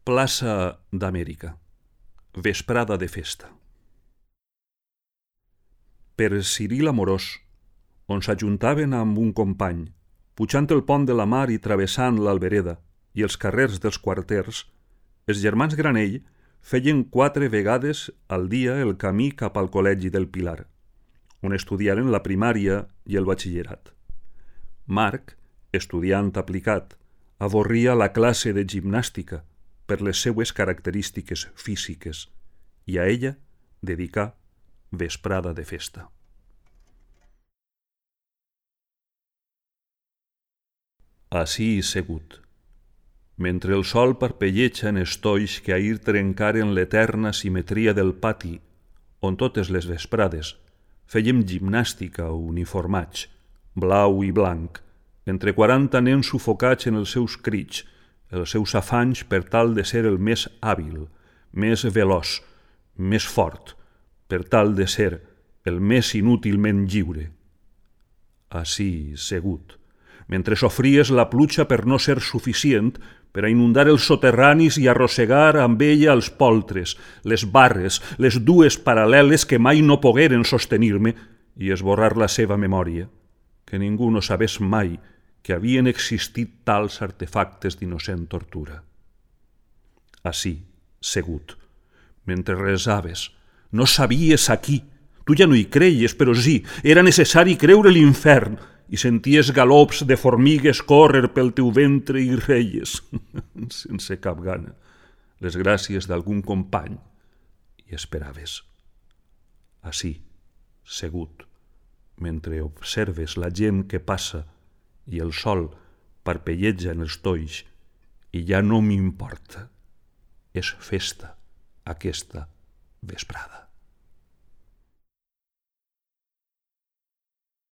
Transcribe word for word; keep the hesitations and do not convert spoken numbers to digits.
Plaça d'Amèrica. Vesprada de festa. Per Ciril Amorós, on s'ajuntaven amb un company, pujant el pont de la mar i travessant l'Albereda i els carrers dels quarters, els germans Granell feien quatre vegades al dia el camí cap al col·legi del Pilar, on estudiaren la primària i el batxillerat. Marc, estudiant aplicat, avorria la classe de gimnàstica per les seues característiques físiques i a ella dedicà vesprada de festa. Ací segut, mentre el sol parpelleja en estolls que ahir trencaren l'eterna simetria del pati, on totes les vesprades fèiem gimnàstica uniformats, blau i blanc, entre quaranta nens sufocats en els seus crits, els seus afanys per tal de ser el més hàbil, més veloç, més fort, per tal de ser el més inútilment lliure. Ací segut, mentre sofries la pluja per no ser suficient per a inundar els soterranis i arrossegar amb ella els poltres, les barres, les dues paral·leles que mai no pogueren sostenir-me i esborrar la seva memòria, que ningú no sabés mai que havien existit tals artefactes d'innocent tortura. Ací, segut, mentre resaves, no sabies a qui, tu ja no hi creies, però sí, era necessari creure l'infern, i senties galops de formigues córrer pel teu ventre i reies, sense cap gana, les gràcies d'algun company, i esperaves. Ací, segut, mentre observes la gent que passa i el sol parpelleja en els tolls, i ja no m'importa. És festa, aquesta vesprada.